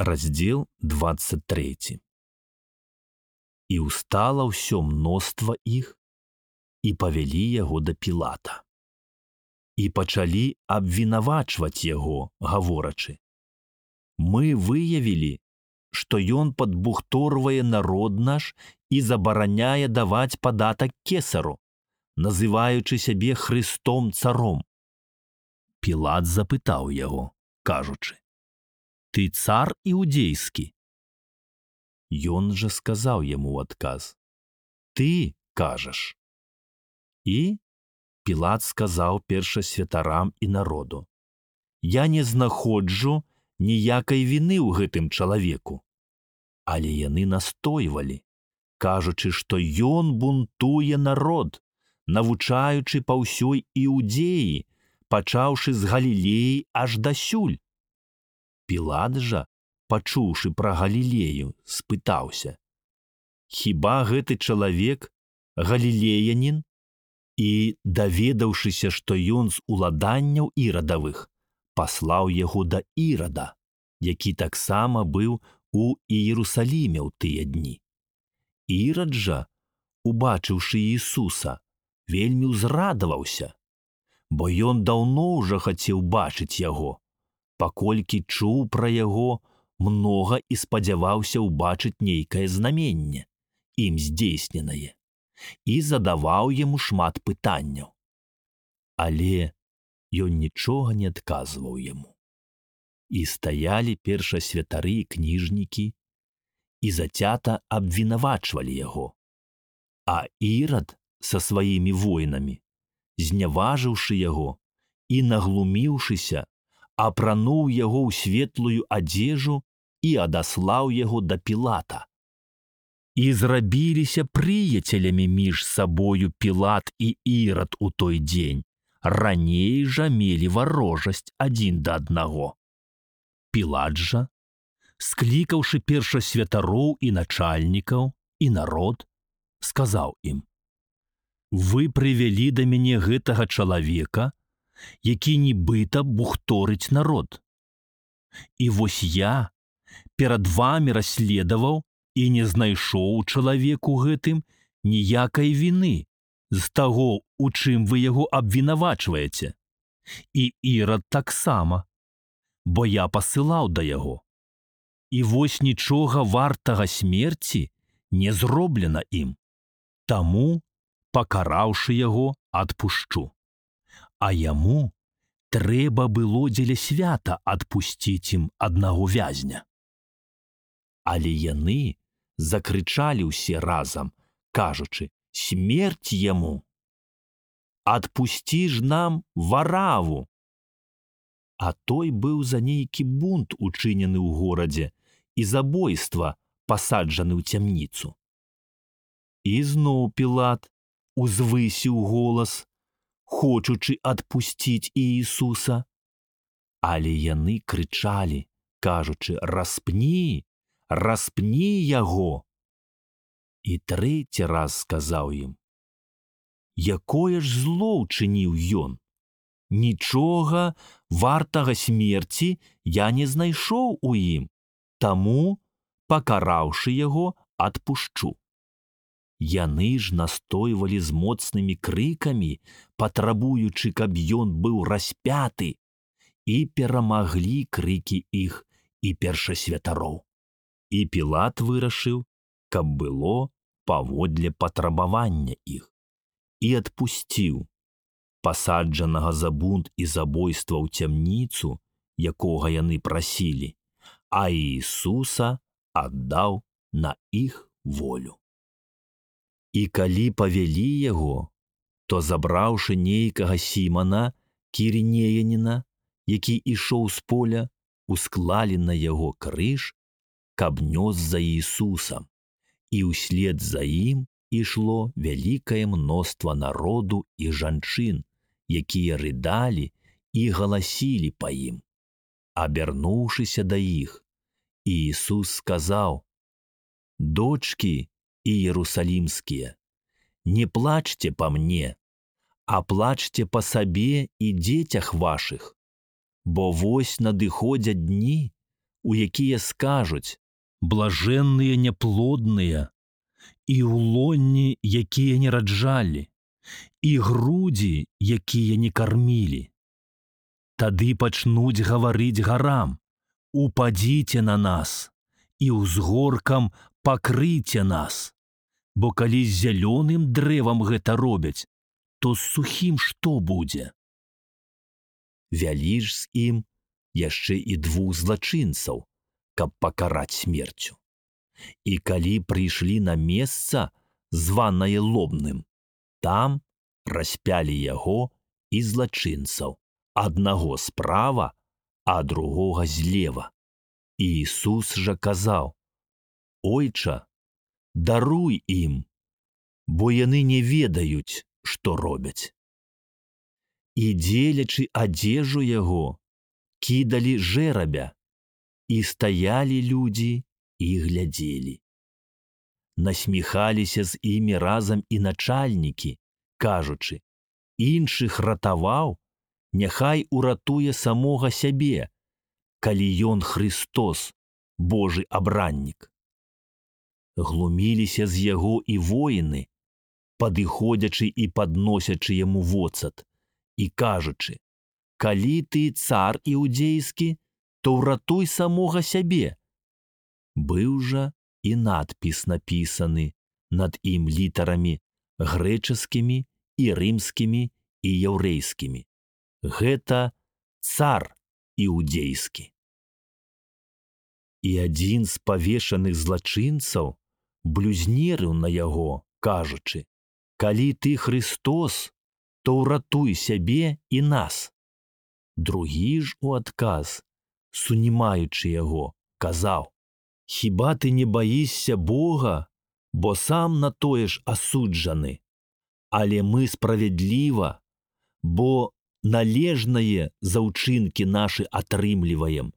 Раздзел 23. І ўстала ўсё мноства іх, і павялі яго да Пілата. І пачалі абвінавачваць яго, гаворачы: «Мы выявілі, што ён падбухторвае народ наш і забараняе даваць падатак кесару, называючы сябе Христом царом». Пілат запытаў яго, кажучы: «Ты цар іудзейскі?» Ён жа сказаў яму ў адказ: «Ты кажаш». І Пілат сказаў першасвятарам і народу: «Я не знаходжу ніякай віны ў гэтым чалавеку». Але яны настойвалі, кажучы, што ён бунтуе народ, навучаючы па ўсёй Іудзеі, пачаўшы з Галілеі аж дасюль. Пілат жа, пачуўшы пра Галілею, спытаўся: «Хіба гэты чалавек галілеянін?» І, даведаўшыся, што ён з уладанняў ірадавых, паслаў яго да Ірада, які таксама быў у Іерусаліме ў тыя дні. Ірад жа, убачыўшы Ісуса, вельмі ўзрадаваўся, бо ён даўно ўжо хацеў бачыць яго, паколькі чуў пра яго многа і спадзяваўся ўбачыць нейкае знаменне, ім здзейсненае, і задаваў яму шмат пытанняў. Але ён нічога не адказваў яму. І стаялі першасвятары і кніжнікі, і зацята абвінавачвалі яго. А Ірад са сваімі воінамі, зняважыўшы яго і наглуміўшыся, апрануў яго ў светлую адзежу і адаслаў яго да Пілата. І зрабіліся прыяцелямі між сабою Пілат і Ірад у той дзень, раней жа мелі варожасць адзін да аднаго. Пілат жа, склікаўшы першасвятароў і начальнікаў і народ, сказаў ім: «Вы прывялі да мяне гэтага чалавека, які нібыта бухторыць народ. І вось я перад вамі расследаваў і не знайшоў у чалавеку гэтым ніякай віны з таго, у чым вы яго абвінавачваеце. І Ірад таксама, бо я пасылаў да яго. І вось нічога вартага смерці не зроблена ім. Таму, пакараўшы яго, адпушчу. А яму трэба было дзеля свята адпусціць ім аднаго вязня». Але яны закрычалі ўсе разам, кажучы: «Смерць яму! Адпусці ж нам Вараву!» А той быў за нейкі бунт учынены ў горадзе і забойства пасаджаны ў цямніцу. І зноў Пілат узвысіў голас, хочучы адпусціць Іісуса. Але яны крычалі, кажучы: «Распні, распні яго!» І трэці раз сказаў ім: «Якое ж зло ўчыніў ён? Нічога вартага смерці я не знайшоў у ім, таму, пакараўшы яго, адпушчу». Яны ж настойвалі з моцнымі крыкамі, патрабуючы, каб ён быў распяты, і перамаглі крыкі іх і першасвятароў. І Пілат вырашыў, каб было паводле патрабавання іх, і адпусціў пасаджанага за бунт і забойства ў цямніцу, якога яны прасілі, а Іісуса аддаў на іх волю. І калі павялі яго, то, забраўшы нейкага Сімана, кірінеяніна, які ішоў з поля, усклалі на яго крыж, каб нёс за Іісусам, і ўслед за ім ішло вялікае мноства народу і жанчын, якія рыдалі і галасілі па ім. Абярнуўшыся да іх, Іісус сказаў: «Дочкі іерусалімскія, не плачце па мне, а плачце па сабе і дзецях вашых, бо вось надыходзяць дні, у якія скажуць: «Блажэнныя няплодныя, і ў лонні, якія не раджалі, і грудзі, якія не кармілі». Тады пачнуць гаварыць гарам: «Упадзіце на нас, і ўзгоркам пакрыйце нас». Бо калі з зялёным дрэвам гэта робяць, то з сухім што будзе? Вялі ж з ім яшчэ і 2 злачынцаў, каб пакараць смерцю. І калі прыйшлі на месца, званае Лобным, там распялі яго і злачынцаў, аднаго справа, а другога злева. І Ісус жа казаў: «Ойча, даруй ім, бо яны не ведаюць, што робяць». І дзелячы адзежу яго, кідалі жэрабя, і стаялі людзі і глядзелі. Насміхаліся з імі разам і начальнікі, кажучы: «Іншых ратаваў, няхай уратуе самога сябе, калі ён Христос, Божы абраннік». Глуміліся з яго і воіны, падыходзячы і падносячы яму воцат, і кажучы: «Калі ты цар іудзейскі, то ўратуй самога сябе». Быў жа і надпіс напісаны над ім літарамі грэчаскімі і рымскімі і яўрэйскімі: «Гэта цар іудзейскі». І адзін з павешаных злачынцаў блюзнерыў на яго, кажучы: «Калі ты Христос, то ўратуй сябе і нас». Другі ж у адказ, сунімаючы яго, казаў: «Хіба ты не баішся Бога, бо сам на тое ж асуджаны? Але мы справядліва, бо належнае за ўчынкі нашы атрымліваем,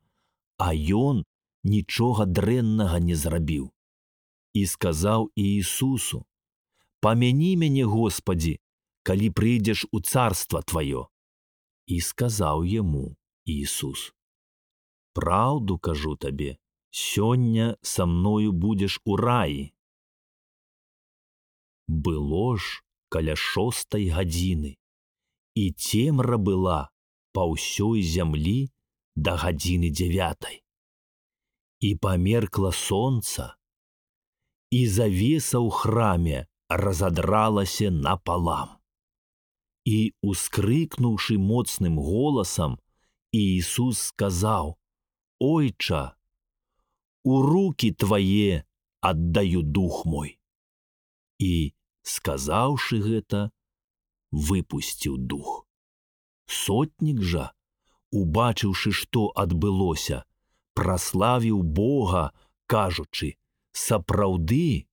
а ён нічога дрэннага не зрабіў». І сказаў Іісусу: «Памяні мяне, Господі, калі прыйдзеш у царства Тваё». І сказаў яму Іісус: «Праўду кажу табе, сёння са мною будзеш у раі». Было ж каля 6 гадзіны, і цемра была па ўсёй зямлі да гадзіны 9. І памеркла сонца, і завеса ў храме разадралася напалам. І, ускрыкнуўшы моцным голасам, Іісус сказаў: «Ойча, у рукі Твае аддаю дух мой». І, сказаўшы гэта, выпусціў дух. Сотнік жа, убачыўшы, што адбылося, праславіў Бога, кажучы: «Сапраўды,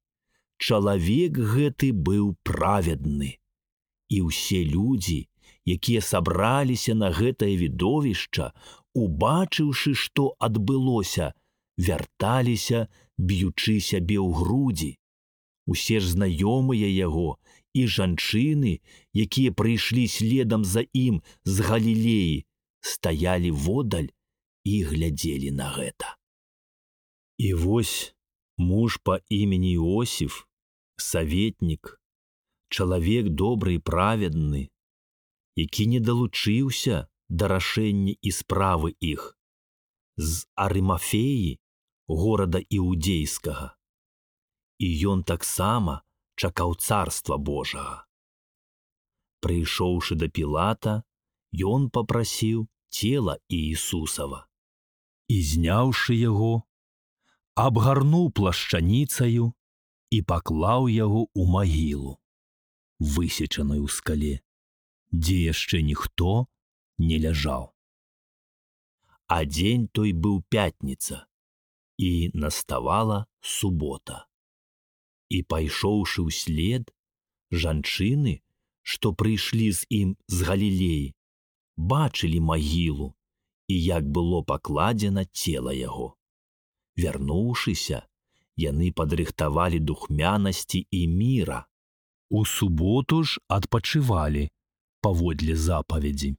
чалавек гэты быў праведны». І ўсе людзі, якія сабраліся на гэтае відовішча, убачыўшы, што адбылося, вярталіся, б'ючы сябе ў грудзі. Усе ж знаёмыя яго і жанчыны, якія прыйшлі следам за ім з Галілеі, стаялі водаль і глядзелі на гэта. І вось муж па імені Іосіф, саветнік, чалавек добры і праведны, які не далучыўся да рашэння і справы іх, з Арымафеі, горада іудзейскага. І ён таксама чакаў царства Божага. Прыйшоўшы да Пілата, ён папрасіў цела Іісусава. І, зняўшы яго, абгарнуў плашчаніцаю і паклаў яго ў магілу, высечаную ў скале, дзе яшчэ ніхто не ляжаў. А дзень той быў пятніца, і наставала субота. І, пайшоўшы ўслед, жанчыны, што прыйшлі з ім з Галілеі, бачылі магілу і як было пакладзена цела яго. Вярнуўшыся, яны падрыхтавалі духмянасці і міра. У суботу ж адпачывалі паводле запаведзі.